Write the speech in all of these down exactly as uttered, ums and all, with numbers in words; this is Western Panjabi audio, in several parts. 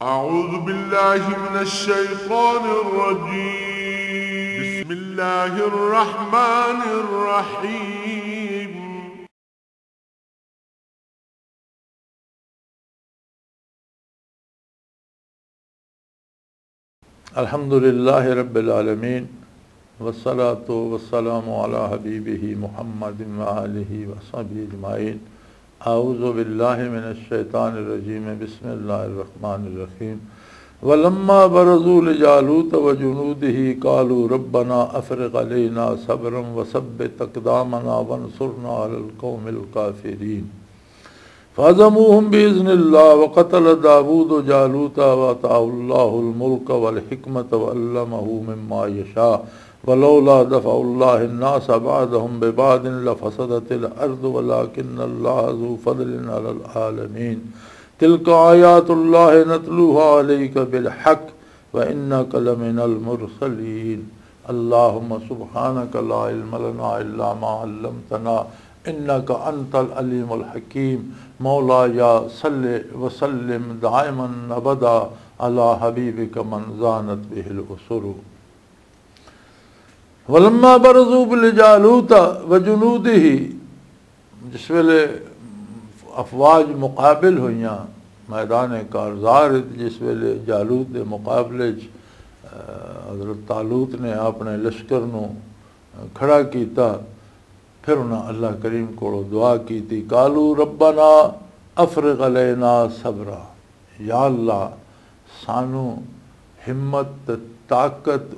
أعوذ بالله من الشيطان الرجيم. بسم الله الرحمن الرحيم. الحمد لله رب العالمين، والصلاة والسلام على حبيبه محمد وآله وصحبه أجمعين. أعوذ بالله من الشيطان الرجيم. بسم الله الرحمن الرحيم. ولما برزوا لجالوت وجنوده قالوا ربنا أفرغ علينا صبرا وثبت أقدامنا وانصرنا على القوم الكافرين. فهزموهم بإذن الله وقتل داود جالوت وآتاه الله الملك والحكمة وعلمه مما يشاء ولولا دفع الله الناس بعضهم ببعض لفسدت الأرض ولكن الله ذو فضل على العالمين. تلك آيات الله نتلوها عليك بالحق وإنك لمن المرسلين. اللهم سبحانك لا علم لنا إلا ما علمتنا إنك أنت العليم الحكيم. مولاي صل وسلم دائما أبدا على حبيبك من زانت به الأسر. ولما برزوا لجالوت وجنوده، جس ویلے افواج مقابل ہوئیاں میدان کارزار وچ، جس ویلے جالوت دے مقابلے وچ، آ، حضرت طالوت نے اپنے لشکر نو کھڑا کیتا، پھر انہاں اللہ کریم کولوں دعا کیتی، "قالوا ربنا افرغ علینا صبرا"، یا اللہ، سانو ہمت تے طاقت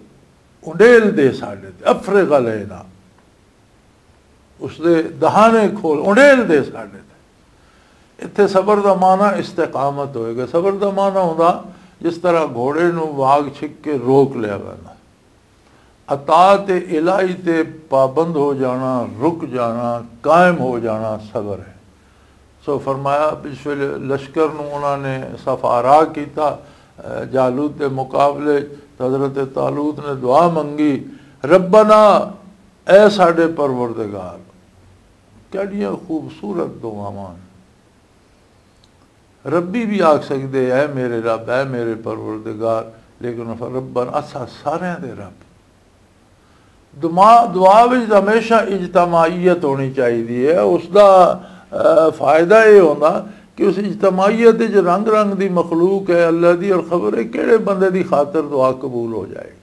انڈیل دے ساڈے تے، افرغ علینا، اس دے دہانے کھول، انڈیل دے ساڈے تے۔ اتھے صبر دا معنی استقامت ہوئے گا۔ صبر دا معنی ہوندا جس طرح گھوڑے نو واگ چھک کے روک لیا ویندا۔ اطاعت الہی تے پابند ہو جانا، رک جانا، قائم ہو جانا صبر ہے۔ سو فرمایا، اس ویلے لشکر نو انہاں نے صف آرا کیتا، اے، جالوت دے مقابلے، تے حضرت طالوت نے دعا منگی، "ربنا"، اے ساڈے پروردگار۔ کیڑیاں خوبصورت دعاواں۔ ربی بھی آکھ سکدے، "اے میرے رب، اے میرے پروردگار"، لیکن ربنا، اساں ساریاں دے رب۔ دعا، دعا وچ ہمیشہ اجتماعیت ہونی چاہیے ہے۔ اس دا، آ، فائدہ یہ ہونا کہ اس اجتماعیت وچ رنگ رنگ دی مخلوق ہے اللہ دی، اور خبر ہے کہڑے بندے دی خاطر دعا قبول ہو جائے گی۔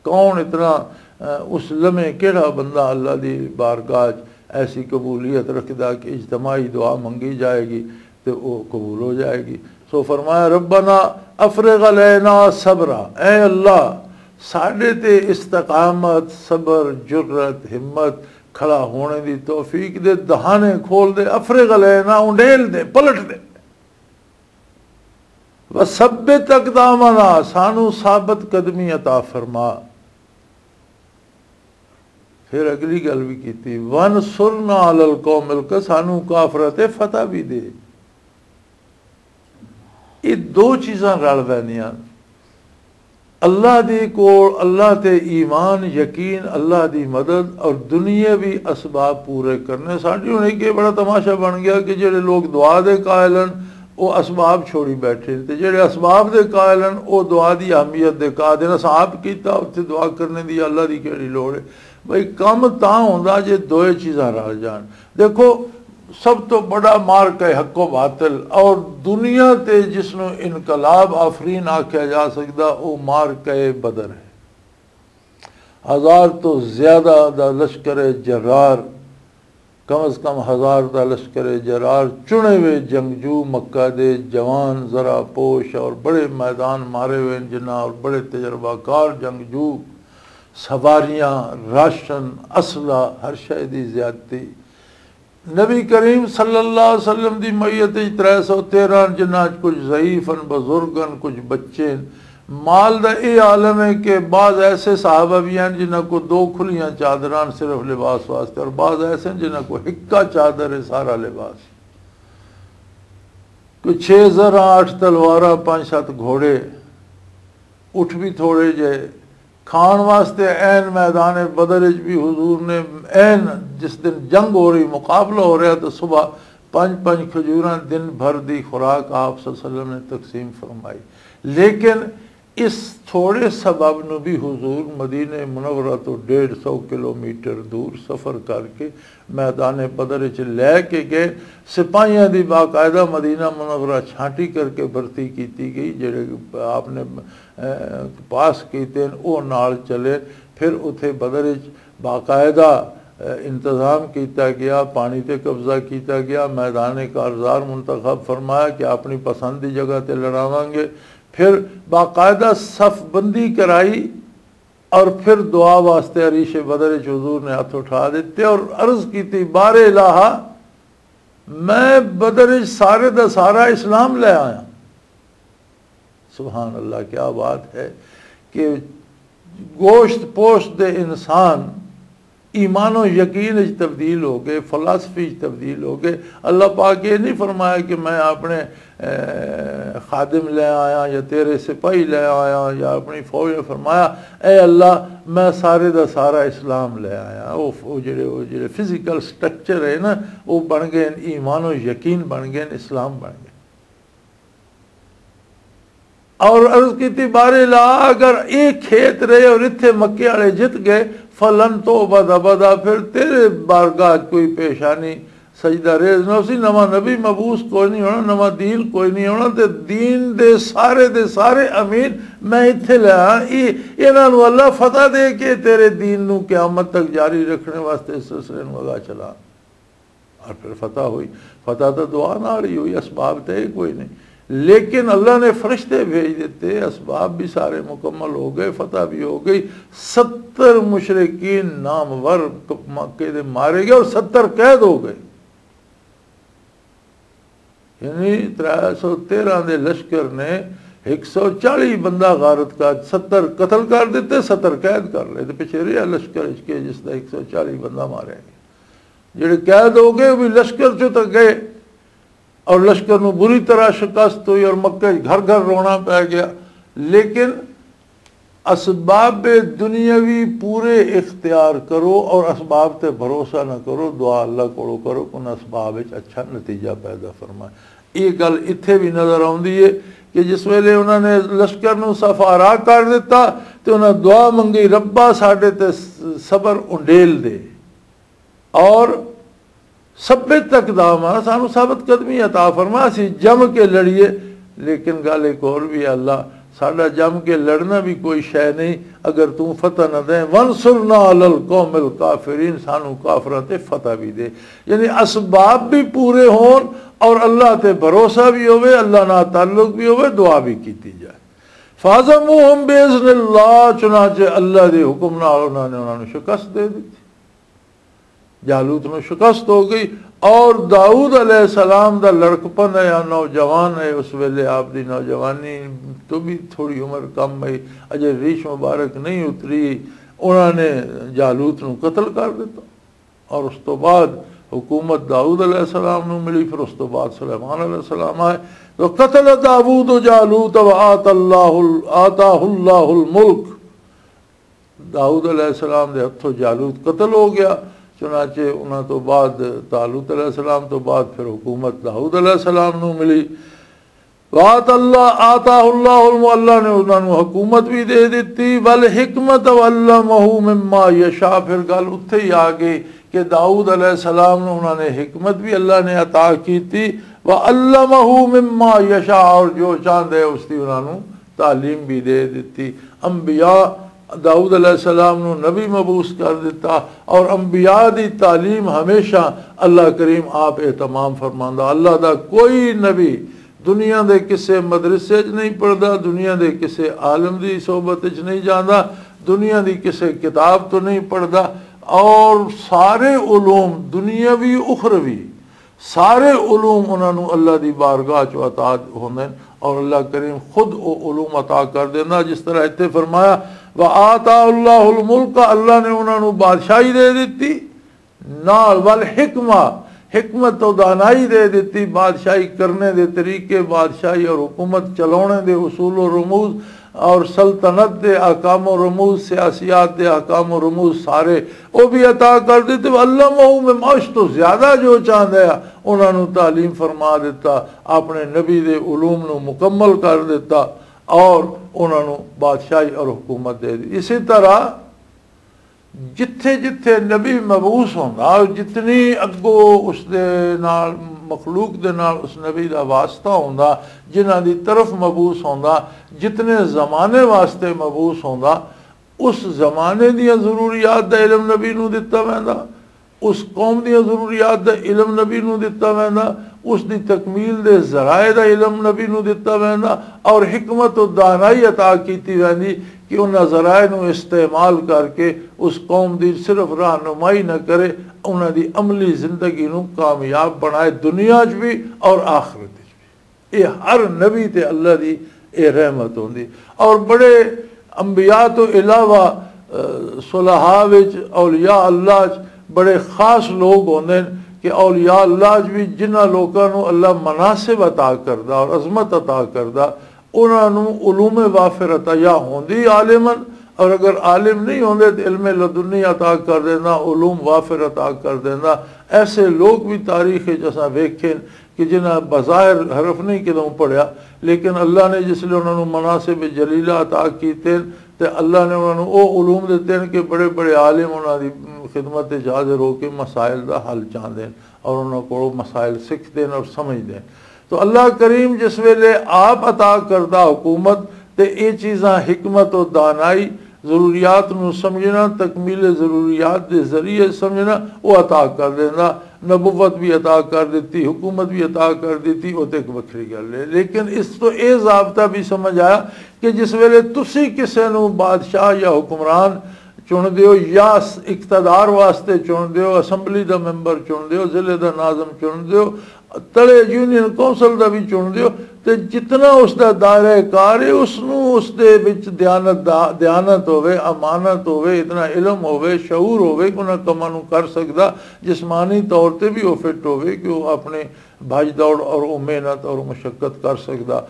کون اتنا، آ، اس لمحے کہڑا بندہ اللہ دی بارگاہ وچ ایسی قبولیت رکھدا کہ اجتماعی دعا منگی جائے گی تے او قبول ہو جائے گی۔ سو فرمایا، "ربنا افرغ علینا صبرا"، اے اللہ، ساڈے تے استقامت، صبر، جرأت، ہمت، کھڑا ہونے دی توفیق دے، دہانے کھول دے، افرغ علینا، انڈیل دے، پلٹ دے۔ "وثبت اقدامنا"، سانو ثابت قدمی عطا فرما۔ پھر اگلی گل بھی کیتی، "وانصرنا علی القوم الک"، سانو کافراں تے فتح بھی دے۔ یہ دو چیزاں رل ویندیاں۔ اللہ دی کول، اللہ تے ایمان، یقین، اللہ دی مدد اور دنیاوی اسباب پورے کرنے۔ ساڈی ہن ایک یہ بڑا تماشا بن گیا کہ جڑے لوگ دعا دے قائل ہیں، وہ اسباب چھوڑی بیٹھے، تے جڑے اسباب دے قائل ہیں، وہ دعا دی اہمیت دے قائل ہیں۔ اساں آپ کیتا، اتھے دعا کرنے دی اللہ دی کیڑی لوڑ ہے؟ بھئی، کم تاں ہوندا جے دوئے چیزاں رل جان۔ دیکھو، سب تو بڑا معرکہ حق و باطل، اور دنیا تے جس نو انقلاب آفرین آکھیا جا سکدا، او معرکہ بدر ہے۔ ہزار تو زیادہ دا لشکر جرار، کم از کم ہزار دا لشکر جرار، چنے ہوئے جنگجو، مکہ دے جوان، ذرا پوش اور بڑے میدان مارے ہوئے جنہاں، اور بڑے تجربہ کار جنگجو، سواریاں، راشن، اسلحہ، ہر شے دی زیادتی۔ نبی کریم صلی اللہ علیہ وسلم دی میت وچ ترے سو تیرہ، جنہاں وچ کچھ ضعیف ہن، بزرگ ہن، کچھ بچے ہن۔ مال دا اے عالم ہے کہ بعض ایسے صحابہ بھی ہیں جنہاں کو دو کھلیاں چادراں صرف لباس واسطے، اور بعض ایسے ہیں جنہاں کو ہکا چادر ہے، سارا لباس۔ کوئی چھ زراں، اٹھ تلواراں، پانچ ست گھوڑے، اٹھ بھی تھوڑے جے، کھان واسطے عین میدان بدر وچ بھی حضور نے، عین جس دن جنگ ہو رہی، مقابلہ ہو رہا، تو صبح پنج پنج کھجوراں دن بھر دی خوراک آپ صلی اللہ علیہ وسلم نے تقسیم فرمائی۔ لیکن اس تھوڑے سبب نو بھی حضور مدینہ منورہ تو ڈیڑھ سو کلومیٹر دور سفر کر کے میدان بدر وچ لے کے گئے۔ سپاہیاں دی باقاعدہ مدینہ منورہ چھانٹی کر کے بھرتی کیتی گئی، جڑے آپ نے، اے، پاس کیتے ہیں، او نال چلے۔ پھر اتھے بدر وچ باقاعدہ، اے، انتظام کیتا گیا، پانی تے قبضہ کیتا گیا، میدان کارزار منتخب فرمایا کہ اپنی پسند دی جگہ تے لڑاواں گے۔ پھر باقاعدہ صف بندی کرائی اور پھر دعا واسطے عریش بدر وچ حضور نے ہاتھ اٹھا دیتے اور عرض کی تھی، بار الہا، میں بدر وچ سارے دا سارا اسلام لے آیا۔ سبحان اللہ، کیا بات ہے کہ گوشت پوشت دے انسان ایمان و یقین وچ تبدیل ہو گئے، فلسفی وچ تبدیل ہو گئے۔ اللہ پاک یہ نہیں فرمایا کہ میں اپنے، اے، خادم لے آیا یا تیرے سپاہی لے آیا یا اپنی فوج نے۔ فرمایا، اے اللہ، میں سارے دا سارا اسلام لے آیا۔ وہ، وہ جڑے، وہ جڑے فزیکل سٹرکچر ہے نا، وہ بن گئے، ایمان و یقین بن گئے، اسلام بن گئے۔ اور عرض کی تھی، بارے لا، اگر ایک کھیت رہے اور اتھے مکے والے جت گئے، فلن تو بد ابدا، پھر تیرے بارگاہ کوئی پیشانی سجدہ ریز نہ اسی، نواں نبی مبعوث کوئی نہیں ہونا، نواں دین کوئی نہیں ہونا، تے دین دے سارے دے سارے امین میں اتھے لے آیا۔ یہ، انہاں نوں اللہ فتح دے کے تیرے دین نوں قیامت تک جاری رکھنے واسطے اس سلسلے نوں اگا چلا۔ اور پھر فتح ہوئی۔ فتح تو دعا نال ہی ہوئی، اسباب تے کوئی نہیں۔ لیکن اللہ نے فرشتے بھیج دیتے، اسباب بھی سارے مکمل ہو گئے، فتح بھی ہو گئی۔ ستر مشرکین نامور مکے دے مارے گئے اور ستر قید ہو گئے۔ یعنی ترے سو تیرہ دے لشکر نے ایک سو چالی بندہ غارت کا، ستر قتل کر دیتے، ستر قید کر لے۔ تے پچھے رہیا لشکر اچ کے جس دا ایک سو چالی بندہ ماریا گیا۔ جڑے قید ہو گئے، وہ بھی لشکر چوں تک گئے اور لشکر نوں بری طرح شکست ہوئی اور مکے وچ گھر گھر رونا پے گیا۔ لیکن اسباب دنیاوی پورے اختیار کرو اور اسباب تے بھروسہ نہ کرو، دعا اللہ کولو کرو کہ انہاں اسباب وچ اچھا نتیجہ پیدا فرمائے۔ یہ گل اتھے بھی نظر آندی ہے کہ جس ویلے انہاں نے لشکر نوں صفارا کر دیتا تے انہاں دعا منگی، ربا ساڈے تے صبر انڈیل دے۔ اور ثبت اقدامنا، سانو ثابت قدمی عطا فرما، اسی جم کے لڑیے۔ لیکن گل ایک اور بھی ہے، اللہ، ساڈا جم کے لڑنا بھی کوئی شے نہیں اگر توں فتح نہ دیں۔ وانصرنا علی القوم الکافرین، سانو کافراں تے فتح بھی دے۔ یعنی اسباب بھی پورے ہون اور اللہ تے بھروسہ بھی ہوئے، اللہ نال تعلق بھی ہوئے، دعا بھی کیتی جائے۔ فَهَزَمُوهُمْ بِإِذْنِ اللَّهِ، چنانچہ اللہ دے حکم نال انہاں نے انہاں نوں شکست دے دتی۔ جالوت نوں شکست ہو گئی۔ اور داؤد علیہ السلام دا لڑکپن ہے یا نوجوان ہے، اس ویلے آپ دی نوجوانی تو بھی تھوڑی عمر کم ہے، اجے ریش مبارک نہیں اتری، انہاں نے جالوت نوں قتل کر دیتا۔ اور اس تو بعد حکومت داؤد علیہ السلام نوں ملی، پھر اس تو بعد سلیمان علیہ السلام آئے۔ تو قتل داؤد جالوت و آتا اللہ ال-، آتاہ اللہ الملک۔ داؤد علیہ السلام دے ہتھوں جالوت قتل ہو گیا۔ چنانچہ انہاں تو بعد، طالوت علیہ السلام تو بعد پھر حکومت داؤد علیہ السلام نوں ملی۔ وآت اللہ، آتاہ اللہ علم، اللہ نے انہاں نوں حکومت بھی دے دتی۔ والحکمت وعلمہ مما یشاء، پھر گل اتھے ہی آ گئی کہ داؤد علیہ السلام نوں انہاں نے حکمت بھی اللہ نے عطا کیتی۔ وعلمہ مما یشاء، اور جو چاہندے اس دی انہاں نوں تعلیم بھی دے دتی۔ انبیاء، داؤد علیہ السلام نوں نبی مبعوث کر دتا، اور انبیاء دی تعلیم ہمیشہ اللہ کریم آپ اہتمام فرماندا۔ اللہ دا کوئی نبی دنیا دے کسے مدرسے وچ نہیں پڑھدا، دنیا دے کسے عالم دی صحبت وچ نہیں جاندا، دنیا دی کسے کتاب تو نہیں پڑھدا، اور سارے علوم دنیاوی اخروی سارے علوم انہاں نوں اللہ دی بارگاہ چ عطا ہوندے نے، اور اللہ کریم خود او علوم عطا کر دیندا۔ جس طرح اتھے فرمایا، وآتا اللہ الملک، اللہ نے انہاں نوں بادشاہی دے دتی، نال والحکمہ، حکمت و دانائی دے دتی، بادشاہی کرنے دے طریقے، بادشاہی اور حکومت چلاونے دے اصول و رموز، اور سلطنت دے احکام و رموز، سیاسیات دے احکام و رموز سارے او بھی عطا کر دتے۔ علمہ مما، اس تو زیادہ جو چاہندا ہے، انہاں نوں تعلیم فرما دتا، اپنے نبی دے علوم نوں مکمل کر دتا۔ اور انہاں نوں بادشاہی اور حکومت دے دی۔ اسی طرح جتھے جتھے نبی مبعوث ہوندا، جتنی اگوں اس دے نال، مخلوق دے نال اس نبی دا واسطہ ہوندا، جنہاں دی طرف مبعوث ہوندا، جتنے زمانے واسطے مبعوث ہوندا، اس زمانے دیاں ضروریات دا علم نبی نوں دتا ویندا، اس قوم دیاں ضروریات دا علم نبی نوں دتا ویندا، اس دی تکمیل دے ذرائع دا علم نبی نوں دتا ویندا، اور حکمت و دانائی عطا کیتی ویندی کہ انہاں ذرائع نوں استعمال کر کے اس قوم دی صرف رہنمائی نہ کرے، انہاں دی عملی زندگی نوں کامیاب بنائے، دنیا چ بھی اور آخرت چ بھی۔ یہ ہر نبی تے اللہ دی یہ رحمت ہوندی۔ اور بڑے انبیاء تو علاوہ، آ، صلحاء وچ، اولیاء اللہ وچ بڑے خاص لوگ ہوندے نے کہ اولیاء اللہ وچ بھی جنہاں لوکاں نوں اللہ مناسب عطا کردا اور عظمت عطا کردا، انہاں نوں علوم وافر عطا یا ہوندی عالمن، اور اگر عالم نہیں ہوندے تو علم لدنی عطا کر دیندا، علوم وافر عطا کر دیندا۔ ایسے لوگ بھی تاریخ وچ اساں ویکھے نے کہ جنہاں بظاہر حرف نہیں کدوں پڑھیا، لیکن اللہ نے جس لئے انہاں نوں مناسب جلیلہ عطا کیتے نے، تے اللہ نے انہاں نوں او علوم دتے نے کہ بڑے بڑے عالم انہاں دی خدمت وچ حاضر ہو کے مسائل دا حل چاہندے نے اور انہاں کولوں مسائل سکھدے نے اور سمجھدے نے۔ تو اللہ کریم جس ویلے آپ عطا کردہ حکومت تے اے چیزاں حکمت و دانائی، ضروریات نو سمجھنا، تکمیل ضروریات دے ذریعے سمجھنا، او عطا کر دیندا۔ نبوت بھی عطا کر دتی، حکومت بھی عطا کر دتی، او تے ایک وکھری گل ہے۔ لیکن اس تو اے ضابطہ بھی سمجھ آیا کہ جس ویلے تسی کسے نو بادشاہ یا حکمران چن دیو یا س-، اقتدار واسطے چن دیو، اسمبلی دا ممبر چن دیو، ضلع دا ناظم چن دیو، تلے یونین کونسل دا بھی چن دیو، تے جتنا اس دا دائرہ کار ہے، اس نو اس دے وچ دیانت دا، دیانت ہوے، امانت ہوے، اتنا علم ہوے، شعور ہوے کہ انہاں کماں نو کر سکدا، جسمانی طور تے بھی وہ فٹ ہوے کہ وہ اپنے بھج دوڑ اور وہ محنت اور مشقت کر سکدا۔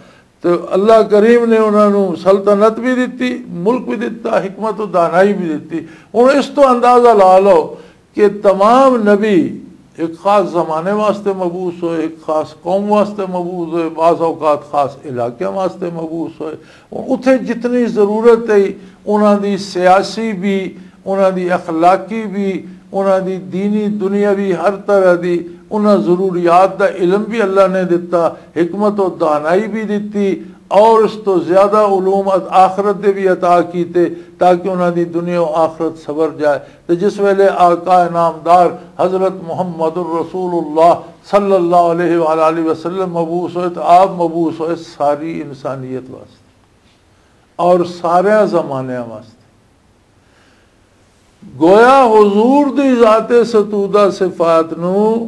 تو اللہ کریم نے انہاں نوں سلطنت بھی دتی، ملک بھی دتا، حکمت و دانائی بھی دتی۔ ہن اس تو اندازہ لا لو کہ تمام نبی ایک خاص زمانے واسطے مبعوث ہوئے، ایک خاص قوم واسطے مبعوث ہوئے، بعض اوقات خاص علاقے واسطے مبعوث ہوئے۔ اتھے جتنی ضرورت ہے، انہاں دی سیاسی بھی، انہاں دی اخلاقی بھی، انہاں دی دینی، دنیاوی، ہر طرح دی انہاں ضروریات دا علم بھی اللہ نے دتا، حکمت و دانائی بھی دتی، اور اس تو زیادہ علوم آخرت دے بھی عطا کیتے، تاکہ انہاں دی دنیا و آخرت سبر جائے۔ تے جس ویلے آقا نامدار حضرت محمد الرسول اللہ صلی اللہ علیہ وآلہ وسلم مبعوث ہوئے، تو آپ مبعوث ہوئے ساری انسانیت واسطے اور سارے زمانے واسطے۔ گویا حضور دی ذات ستودہ صفات نو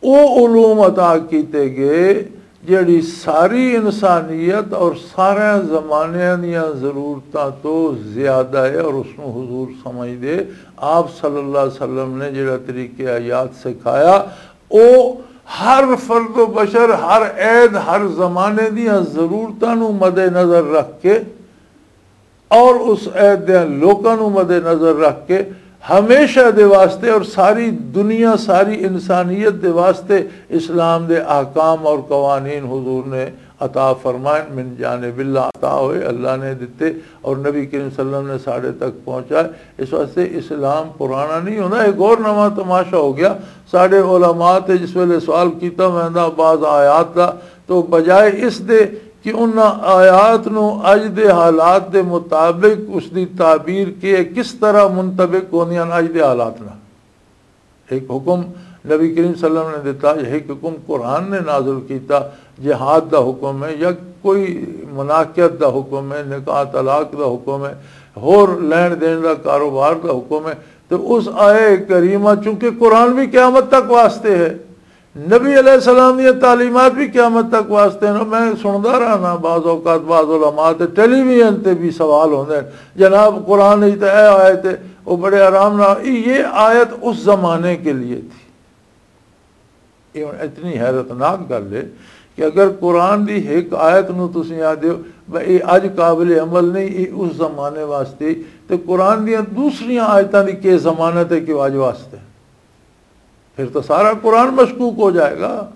او علوم عطا کیتے گئے جڑی ساری انسانیت اور سارے زمانے دیاں ضرورتاں تو زیادہ ہے، اور اس نو حضور سمجھ دے۔ آپ صلی اللہ علیہ وسلم نے جڑا طریقہ حیات سکھایا، او ہر فرد و بشر، ہر عید، ہر زمانے دیاں ضرورتاں نو مد نظر رکھ کے اور اس عید دے لوکاں نوں مد نظر رکھ کے ہمیشہ دے واسطے اور ساری دنیا، ساری انسانیت دے واسطے اسلام دے احکام اور قوانین حضور نے عطا فرمائن، من جانب اللہ عطا ہوئے، اللہ نے دتے اور نبی کریم صلی اللہ علیہ وسلم نے ساڑے تک پہنچائے۔ اس واسطے اسلام پرانا نہیں ہونا، ایک اور نواں تماشا ہو گیا۔ ساڑے علماء تے جس ویلے سوال کیتا ویندا بعض آیات دا، تو بجائے اس دے کہ انہاں آیات نو اج دے حالات دے مطابق اس دی تعبیر کے کس طرح منطبق ہوندیاں اج دے حالات نال۔ ایک حکم نبی کریم صلی اللہ علیہ وسلم نے دتا، ایک حکم قرآن نے نازل کیتا، جہاد دا حکم ہے یا کوئی مناکیت دا حکم ہے، نکاح طلاق دا حکم ہے، ہور لین دین دا کاروبار دا حکم ہے۔ تو اس آیہ کریمہ، چونکہ قرآن بھی قیامت تک واسطے ہے، نبی علیہ السلام دی تعلیمات بھی قیامت تک واسطے ہیں۔ میں سندا رہنا بعض اوقات بعض علماء تے ٹیلی ویژن تے بھی سوال ہوندے ہیں، "جناب، قرآن وچ تے اے آیت ہے۔" وہ بڑے آرام نال، یہ آیت اس زمانے کے لیے تھی۔ یہ ہن اتنی حیرت ناک گل ہے کہ اگر قرآن دی ایک آیت نو تسی آ دیو، "بھئی، یہ اج قابل عمل نہیں، یہ اس زمانے واسطے"، تے قرآن دیاں دوسریاں آیتاں دی کی ضمانت ہے کہ وہ اج واسطے؟ پھر تو سارا قرآن مشکوک ہو جائے گا۔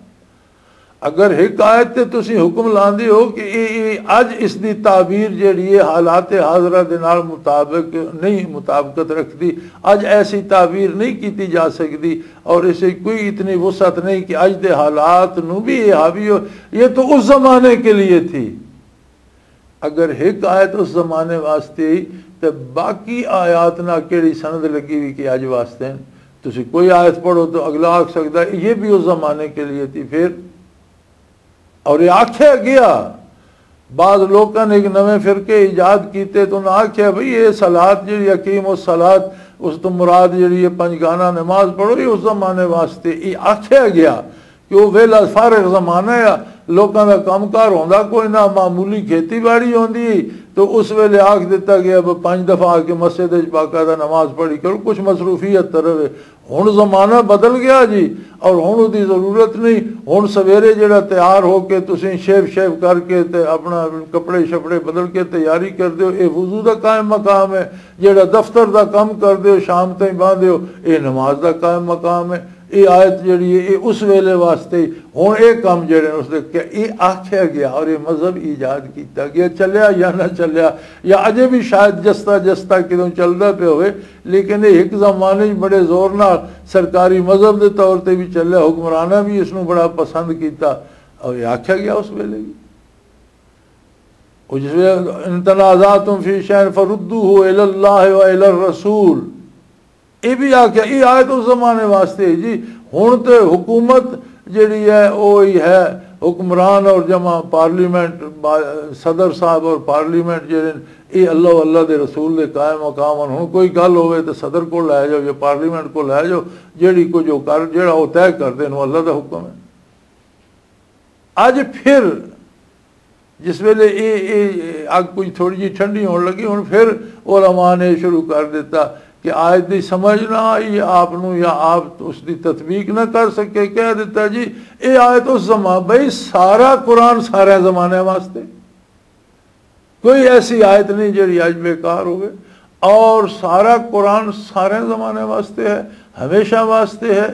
اگر ایک آیت تے تسی حکم لاندے ہو کہ اے، اے اج اس دی تعبیر جیڑی ہے حالات حاضرہ دے نال مطابق نہیں، مطابقت رکھدی، اج ایسی تعبیر نہیں کیتی جا سکدی اور اسے کوئی اتنی وسعت نہیں کہ اج دے حالات نو بھی یہ حاوی ہو، یہ تو اس زمانے کے لیے تھی۔ اگر ایک آیت اس زمانے واسطے ہی، تے باقی آیات نہ کیڑی سند لگی ہوئی کہ اج واسطے ہیں؟ تسی کوئی آیت پڑھو تو اگلا آکھ سکدا ہے یہ بھی اس زمانے کے لیے تھی۔ پھر اور یہ آکھیا گیا، بعض لوکاں نے ایک نویں فرقے ایجاد کیتے تو انہاں آکھیا بھئی یہ صلات جڑی اقیم الصلات، اس تو مراد جڑی ہے پنج گانا نماز پڑھو، یہ اس زمانے واسطے یہ آکھیا گیا کہ وہ ویلا فارغ زمانہ ہے، لوکاں دا کم کار ہوندا کوئی نہ، معمولی کھیتی باڑی ہوندی، تو اس ویلے آکھ دتا گیا بھی پنج دفعہ آ کے مسجد وچ باقاعدہ نماز پڑھی کرو، کچھ مصروفیت طرف ہے۔ ہن زمانہ بدل گیا جی، اور ہن اودی ضرورت نہیں۔ ہن سویرے جڑا تیار ہو کے تسیں شیو شیو کر کے تے اپنا کپڑے شپڑے بدل کے تیاری کر دیو، اے وضو دا قائم مقام ہے۔ جڑا دفتر دا کم کر دیو، شام تائیں باندھے ہو، اے نماز دا قائم مقام ہے۔ اے آیت جڑی ہے، اے اس ویلے واسطے ہی۔ ہن اے کم جڑے نے اس دے کہ اے آکھیا گیا اور اے مذہب ایجاد کیتا گیا، چلیا یا نہ چلیا، یا اجے بھی شاید جستا جستا کدوں چلدا پیا ہوئے، لیکن یہ ایک زمانے وچ بڑے زور نال سرکاری مذہب دے طور تے بھی چلیا، حکمراناں بھی اس نوں بڑا پسند کیتا۔ اور یہ آکھیا گیا اس ویلے بھی، اور جس ویلے، "ان تنازعتم فی شیء فردوہ الی اللہ و الی الرسول"، یہ بھی آکھیا، یہ آیت اس زمانے واسطے ہے جی۔ ہن تے حکومت جڑی ہے، وہی ہے حکمران اور جمع پارلیمنٹ، با-، صدر صاحب اور پارلیمنٹ جڑے، یہ اللہ و اللہ دے رسول دے قائم مقام ہن۔ ہن کوئی گل ہوئے تے صدر کو لے جاؤ یا پارلیمنٹ کو لے جاؤ، جیڑی کچھ وہ کر، جیڑا وہ طے کر دین، وہ اللہ دا حکم ہے۔ اج پھر جس ویلے یہ، یہ اگ کچھ تھوڑی جی ٹھنڈی ہون لگی، ہن پھر علماء نے شروع کر دیتا کہ آیت دی سمجھ نہ آئی آپ نو یا آپ اس دی تطبیق نہ کر سکے، کہہ دیتا جی، یہ آیت اس زمان، بھئی سارا قرآن سارے زمانے واسطے، کوئی ایسی آیت نہیں جڑی اج بیکار ہوئے، اور سارا قرآن سارے زمانے واسطے ہے، ہمیشہ واسطے ہے۔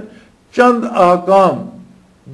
چند احکام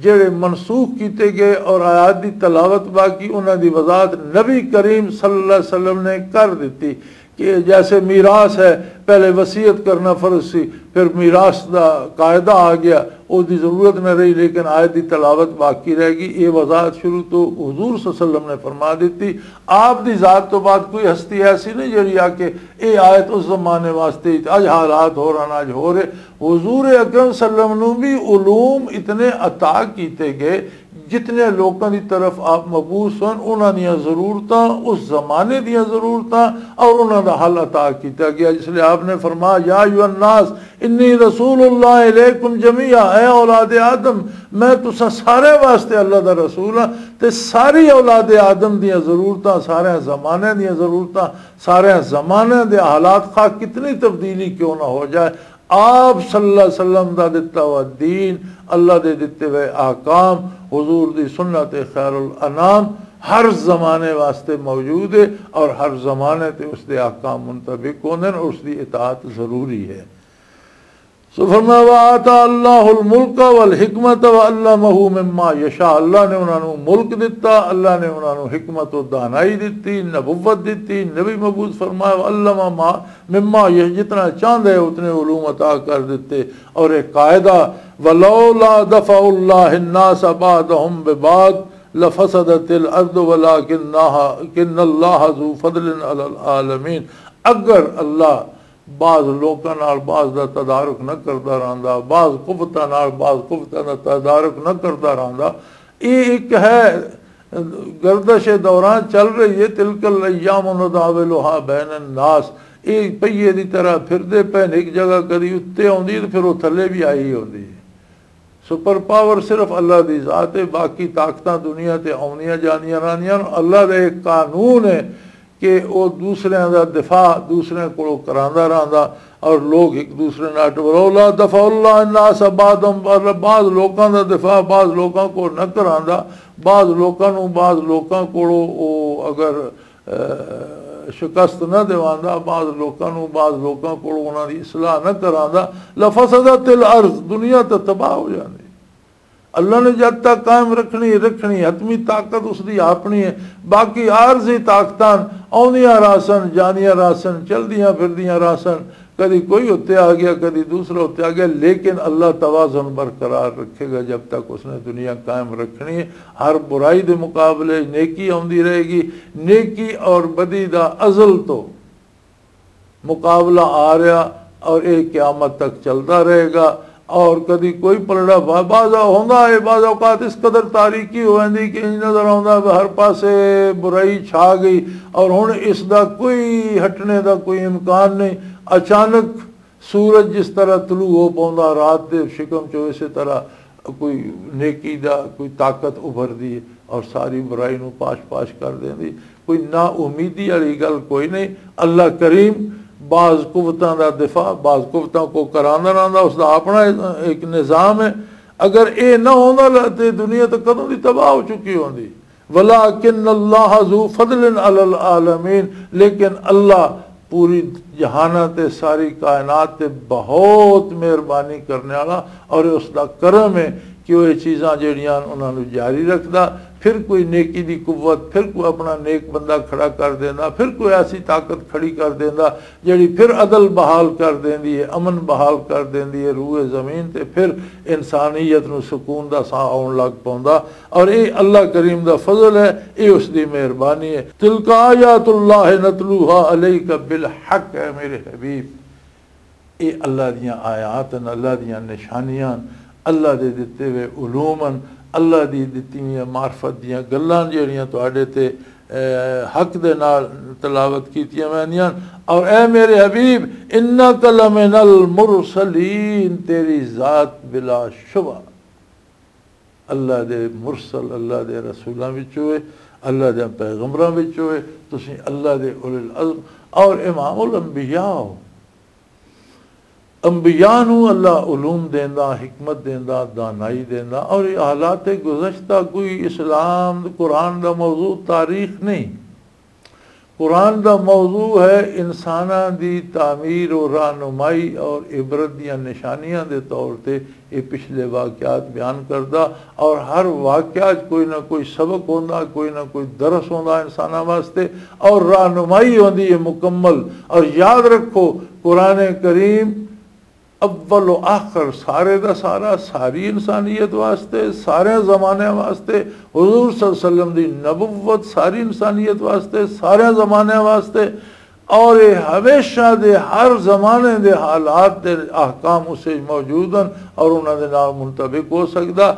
جڑے منسوخ کیتے گئے اور آیات دی تلاوت باقی، انہاں دی وضاحت نبی کریم صلی اللہ علیہ وسلم نے کر دتی کہ جیسے میراث ہے، پہلے وصیت کرنا فرض سی، پھر میراث دا قاعدہ آ گیا، اس دی ضرورت نہ رہی، لیکن آیت دی تلاوت باقی رہ گئی۔ یہ وضاحت شروع تو حضور صلی اللہ علیہ وسلم نے فرما دیتی۔ آپ دی ذات تو بعد کوئی ہستی ایسی نہیں جڑی آ کے اے آیت اس زمانے واسطے، اج حالات ہو رہا، اج ہو رہے۔ حضور اکرم صلی اللہ علیہ وسلم نو بھی علوم اتنے عطا کیتے گئے، جتنے لوکاں دی طرف آپ مبعوث ہن، انہاں دیاں ضرورتاں، اس زمانے دیاں ضرورتاں اور انہاں دا حل عطا کیتا گیا۔ اس لیے آپ نے فرمایا، "یا ایھا الناس انی رسول اللہ الیکم جمیعا"، اے اولاد آدم، میں تساں سارے واسطے اللہ دا رسول ہاں، تے ساری اولاد آدم دیاں ضرورتاں، سارے زمانے دیاں ضرورتاں، سارے زمانے دے حالات، خواہ کتنی تبدیلی کیوں نہ ہو جائے، آپ صلی اللہ علیہ وسلم دا دتا ہوا دین، اللہ دے دتے ہوئے احکام، حضور دی سنت خیر الانام ہر زمانے واسطے موجود ہے، اور ہر زمانے تے اس دے احکام منطبق ہوندے نے، اس دی اطاعت ضروری ہے۔ سو فرمایا، "وآتى الله الملك والحكمة وعلمه مما يشاء"، اللہ نے انہاں نوں ملک دتا، اللہ نے انہاں نوں حکمت و دانائی دتی، نبوت دتی، نبی مبعوث فرمایا، "وعلم ما مما یہ"، جتنا چاہندے اتنے علوم عطا کر دتے۔ اور ایک قاعدہ، "ولولا دفع الله الناس بعضهم ببعض لفسدت الارض ولكن الله، كن الله ذو فضل على العالمين"، اگر اللہ بعض لوکاں نال بعض دا تدارک نہ کردا رہندا، بعض قوتاں نال بعض قوتاں دا تدارک نہ کردا رہندا۔ یہ ایک ہے، گردش دوران چل رہی ہے، "تلك الأيام نداولها بين الناس"، یہ پہیے دی طرح پھردے پے نے، ایک جگہ کدی اُتے آندی تے پھر وہ تھلے بھی آئی ہوندی ہے۔ سپر پاور صرف اللہ دی ذات ہے، باقی طاقتاں دنیا تے آونیاں جانیاں رہندیاں۔ اللہ دا ایک قانون ہے کہ وہ دوسرے دا دفاع دوسرے کولوں کراندا رہندا، اور لوگ ایک دوسرے نال، "ولولا دفع الله الناس بعضهم"، بعض لوکاں دا دفاع بعض لوکاں کو نہ کراندا، بعض لوکاں نوں بعض لوکاں کولوں وہ اگر، اہ، شکست نہ دیواندا، بعض لوکاں نوں بعض لوکاں کولوں انہاں دی اصلاح نہ کراندا، "لفسدت الارض"، دنیا تے تباہ ہو جاندی۔ اللہ نے جد تک قائم رکھنی، رکھنی، حتمی طاقت اس دی اپنی ہے۔ باقی عارضی طاقتاں آوندیاں رہسن، جاندیاں رہسن، چلدیاں پھردیاں رہسن، کدی کوئی اتتے آ گیا، کدی دوسرا اتتے آ گیا، لیکن اللہ توازن برقرار رکھے گا جب تک اس نے دنیا قائم رکھنی ہے۔ ہر برائی دے مقابلے نیکی آوندی رہے گی۔ نیکی اور بدی دا ازل تو مقابلہ آ رہا اور یہ قیامت تک چلتا رہے گا۔ اور کدی کوئی پلڑا با-، بعض ہوندا ہے، بعض اوقات اس قدر تاریکی ہو جاندی کہ انج نظر آوندا ہے ہر پاسے برائی چھا گئی اور ہن اس دا کوئی ہٹنے دا کوئی امکان نہیں۔ اچانک سورج جس طرح طلوع ہو پوندا رات دے شکم چوں، اسی طرح کوئی نیکی دا کوئی طاقت ابھردی ہے اور ساری برائی نو پاش پاش کر دیندی۔ کوئی نا امیدی والی گل کوئی نہیں۔ اللہ کریم بعض قوتاں دا دفاع، بعض قوتاں کو کراندا رہندا، اس دا اپنا ایک نظام ہے۔ اگر اے نہ ہوندا تے دنیا تو کدوں دی تباہ ہو چکی ہوندی۔ وَلَٰكِنَّ اللَّهَ ذُو فَضْلٍ عَلَى الْعَالَمِينَ، لیکن اللہ پوری جہاناں تے ساری کائنات تے بہت مہربانی کرنے والا، اور اس دا کرم ہے کہ وہ یہ چیزاں جڑیاں انہاں نوں جاری رکھدا۔ پھر کوئی نیکی دی قوت، پھر کوئی اپنا نیک بندہ کھڑا کر دیندا، پھر کوئی ایسی طاقت کھڑی کر دیندا جڑی پھر عدل بحال کر دیندی ہے، امن بحال کر دیندی ہے روئے زمین تے، پھر انسانیت نوں سکون دا ساہ آن لگ پوندا۔ اور اے اللہ کریم دا فضل ہے، اے اس دی مہربانی ہے۔ تلک آیات اللہ نتلوہا علیک بالحق، اے میرے حبیب، اے اللہ دیاں آیات ہن، اللہ دیاں نشانیاں ہن، اللہ دے دتے ہوئے علوم ہن، اللہ دی دتی ہوئی معرفت دیاں گلاں جڑیاں تواڈے تے، اے، حق دے نال تلاوت کیتیاں ویندیاں ہن۔ اور اے میرے حبیب، انک لمن المرسلین، تیری ذات بلا شبہ اللہ دے مرسل، اللہ دے رسولاں وچ ہوئے، اللہ دے پیغمبراں وچ ہوئے، تسی اللہ دے اولو العزم اور امام الانبیاء ہو۔ انبیاء نو اللہ علوم دیندا، حکمت دیندا، دانائی دیندا، اور یہ حالات گزشتہ کوئی اسلام قرآن دا موضوع تاریخ نہیں۔ قرآن دا موضوع ہے انساناں دی تعمیر و رہنمائی اور عبرت دیاں نشانیاں دے طور تے یہ پچھلے واقعات بیان کردا، اور ہر واقعہ چ کوئی نہ کوئی سبق ہوندا، کوئی نہ کوئی درس ہوندا انساناں واسطے، اور رہنمائی ہوندی ہے مکمل۔ اور یاد رکھو، قرآن کریم اول و آخر سارے دا سارا ساری انسانیت واسطے، سارے زمانے واسطے، حضور صلی اللہ علیہ وسلم دی نبوت ساری انسانیت واسطے، سارے زمانے واسطے، اور یہ ہمیشہ دے ہر زمانے دے حالات دے احکام اسے موجود ہیں اور انہاں دے نال منطبق ہو سکدا۔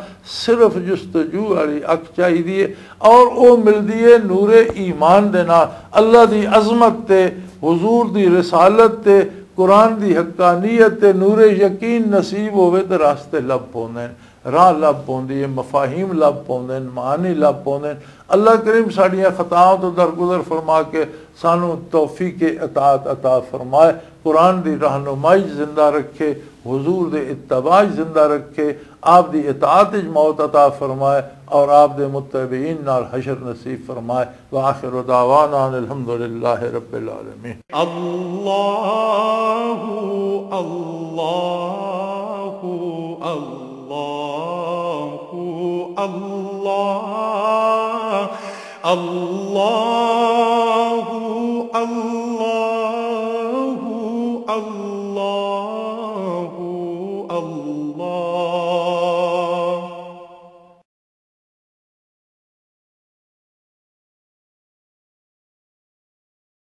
صرف جستجو والی اکھ چاہیدی ہے اور او ملدی ہے نور ایمان دے نال۔ اللہ دی عظمت تے، حضور دی رسالت تے، قرآن دی حقانیت تے نور یقین نصیب ہوئے تے راستے لب پوندے ہیں، راہ لب پوندی ہے، مفاہیم لب پوندے ہیں، معانی لب پوندے ہیں۔ اللہ کریم ساڈیاں خطاؤں تو درگزر فرما کے سانو توفیق اطاعت عطا فرمائے، قرآن دی رہنمائی زندہ رکھے، حضور دے اتباع زندہ رکھے، آپ دی اطاعت وچ موت عطا فرمائے اور آپ دے متبعین نال حشر نصیب فرمائے۔ وآخر دعوانا ان الحمد للہ رب العالمین۔ اللہ، اللہ، اللہ، اللہ، اللہ۔